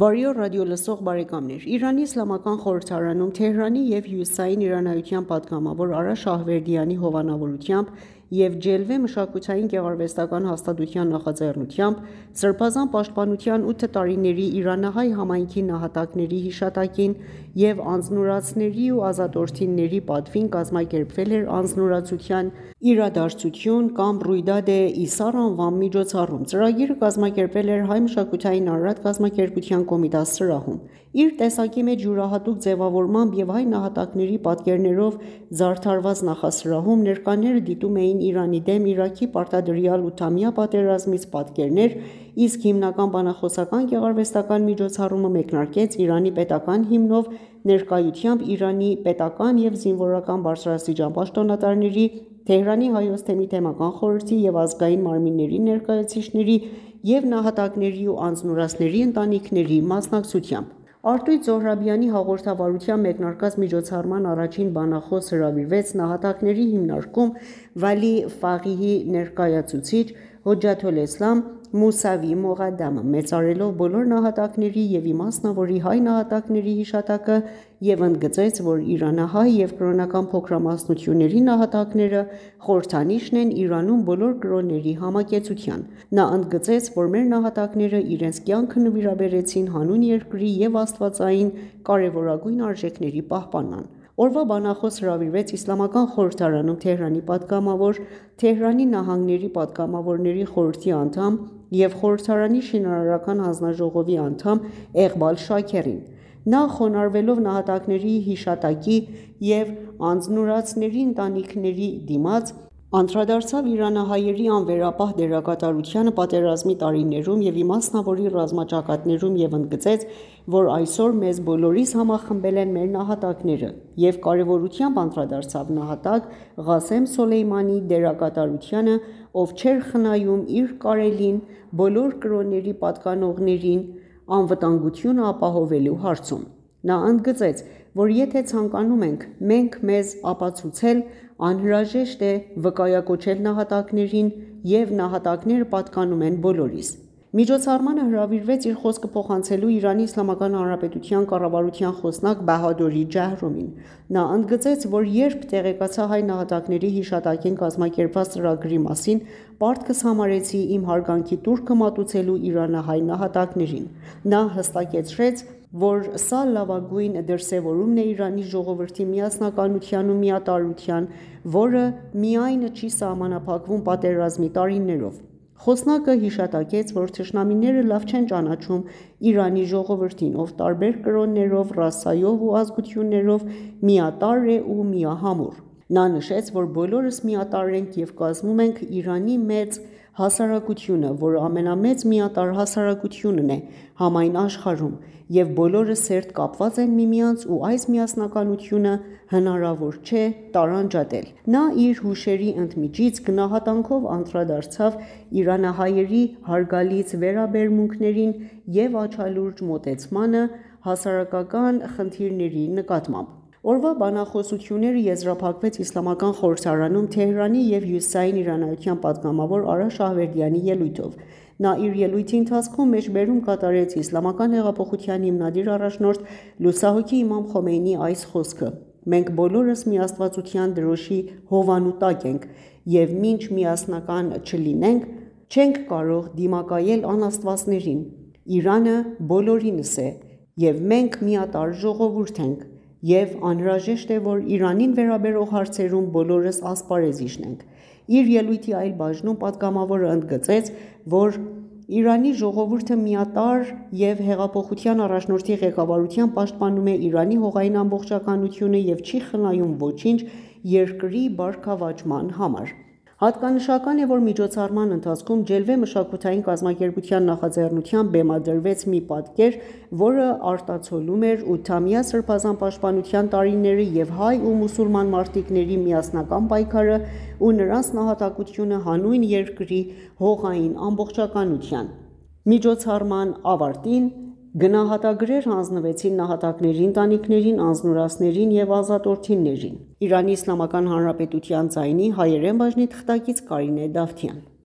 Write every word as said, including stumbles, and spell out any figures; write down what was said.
Բարի օր ռադիոլսող բարեկամներ: Իրանի Իսլամական Խորհրդարանում Թեհրանի և հյուսիսային իրանայության պատգամավոր Արա Շահվերդյանի հովանավորությամբ և Ջելվե մշակութային գեղարվեստական հաստատության նախաձեռնությամբ Սրբազան պաշտպանության ութ տարիների իրանահայ համայնքի նահատակների հիշատակին և անձնուրացների ու ազատորդիների պատվին կազմակերպվել էր անձնուրացության իրադարձություն կամ Ռույդադ-է Իսար անվան միջոցառում: Ծրագիրը կազմակերպվել էր Հայ մշակութային արարատ կազմակերպության Կոմիտաս սրահում: Իր տեսակի մեջ յուրահատուկ ձևավորմամբ և հայ նահատակների պատկերներով զարդարված նախասրահում ներկաները դիտում էին Իրանի դեմ Իրաքի պարտադրյալ ութամյա պատերազմից պատկերներ, իսկ հիմնական բանախոսական գեղարվեստական միջոցառումը մեկնարկեց Իրանի պետական հիմնով, ներկայությամբ Իրանի պետական և զինվորական բարձրաստիճան պաշտոնատարների, Թեհրանի Հայոց թեմի թեմական խորհրդի և ազգային մարմինների ներկայացուցիչների և նահատակների ու անձնուրացների ընտանիքների մասնակցությամբ: Արտույտ Զոհրաբյանի հաղորդավարությամբ մեկնարկած միջոցառման առաջին բանախոս հրավիրվեց նահատակների հիմնարկում Վալի Ֆաղիհի ներկայացուցիչ Հոջաթոլէսլամ Մուսավի Մողադամը, մեծարելով բոլոր նահատակների և իմաստնավորի հայ նահատակների հիշատակը և ընդգծեց, որ իրանահայ և կրոնական փոքրամասնությունների նահատակները խորհրդանիշն են Իրանում բոլոր կրոնների համակեցության: Նա ընդգծեց, որ մեր նահատակները իրենց կյանքը նվիրաբերեցին հանուն երկրի և աստվածային կարևորագույն արժեքների պահպանման: Օրվա բանախոս հրավիրվեց Իսլամական Խորհրդարանում Թեհրանի պատգամավոր, Թեհրանի նահանգների պատգամավորների խորհրդի անդամ և խորհրդարանի շինարարական հանձնաժողովի անդամ Էղբալ Շաքերին: Նա խոնարհվելով նահատակների հիշատակի և անձնուրացների ընտանիքների դիմաց, անդրադարձավ իրանահայերի անվերապահ դերակատարությանը պատերազմի տարիներում և իմասնավորի ռազմաճակատներում և ընդգծեց, որ այսօր մեզ բոլորիս համախմբել են մեր նահատակները և կարևորությամբ անդրադարձավ նահատակ Ղասեմ Սոլեյմանիի դերակատարությանը, ով չէր խնայում իր կարելին բոլոր կրոնների պատկանողներին անվտանգությունը ապահովելու հարցում: Նա ընդգծեց, որ եթե ցանկանում ենք մենք մեզ ապացուցել, անհրաժեշտ է վկայակոչել նահատակներին և նահատակները պատկանում են բոլորիս: Միջոցառմանը հրավիրվեց իր խոսքը փոխանցելու Իրանի Իսլամական Հանրապետության կառավարության խոսնակ Բահադուր Ջահրումին: Նա ընդգծեց, որ երբ տեղեկացա հայ նահատակների հիշատակին կազմակերպված ծրագրի մասին, պարտքս համարեցի իմ հարգանքի տուրքը մատուցելու իրանահայ նահատակներին: Նա հստակեցրեց, որ սա լավագույն դրսևորումն է Իրանի ժողովրդի միասնականության ու միատարրության, որը միայն չի սահմանափակվում պատերազմի տարիներով: Խոսնակը հիշատակեց, որ թշնամիները լավ չեն ճանաչում Իրանի ժողովրդին, ով տարբեր կրոններով, ռասայով ու ազգություններով միատարր է ու միահամուռ: Նա նշեց, որ բոլորս միատարր ենք և կազմում ենք Իրանի մեծ հասարակությունը, որը ամենամեծ միատարր հասարակությունն է համայն աշխարհում և բոլորը սերտ կապված են միմյանց ու այս միասնականությունը հնարավոր չէ տարանջատել: Նա իր հուշերի ընդմիջից գնահատանքով անդրադարձավ իրանահայերի հարգալից վերաբերմունքներին և աչալուրջ մոտեցմանը հասարակական խնդիրների նկատմամբ: Օրվա բանախոսությունները եզրափակվեց Իսլամական Խորհրդարանում Թեհրանի և հյուսիսային իրանայության պատգամավոր Արա Շահվերդյանի ելույթով: Նա իր ելույթի ընթացքում մեջբերում կատարեց Իսլամական հեղափոխության հիմնադիր առաջնորդ լուսահոգի Իմամ Խոմեյնիի այս խոսքը. «Մենք բոլորս միաստվածության դրոշի հովանու տակ ենք և մինչ միասնական չլինենք, չենք կարող դիմակայել անաստվածներին: Իրանը բոլորինս է և մենք միատարր ժողովուրդ ենք և անհրաժեշտ է, որ Իրանին վերաբերող հարցերում բոլորս ասպարեզ իջնենք»: Իր ելույթի այլ բաժնում պատգամավորը ընդգծեց, որ Իրանի ժողովուրդը միատարր և հեղափոխության առաջնորդի ղեկավարությամբ պաշտպանում է Իրանի հողային ամբողջականությունը և չի խնայում ոչինչ երկրի բարգավաճման համար: Հատկանշական է, որ միջոցառման ընթացքում Ջելվե մշակութային կազմակերպության նախաձեռնությամբ բեմադրվեց մի պատկեր, որը արտացոլում էր ութամյա սրբազան պաշտպանության տարիները և հայ ու մուսուլման մարտիկների միասնական պայքարը ու նրանց նահատակությունը հանուն երկրի հողային ամբողջականության: Միջոցառման ավարտին գնահատագրեր հանձնվեցին նահատակների ընտանիքներին, անձնուրացներին և ազատորդիներին: Իրանի Իսլամական Հանրապետության ձայնի հայերեն բաժնի թղթակից Կարինե Դավթյան: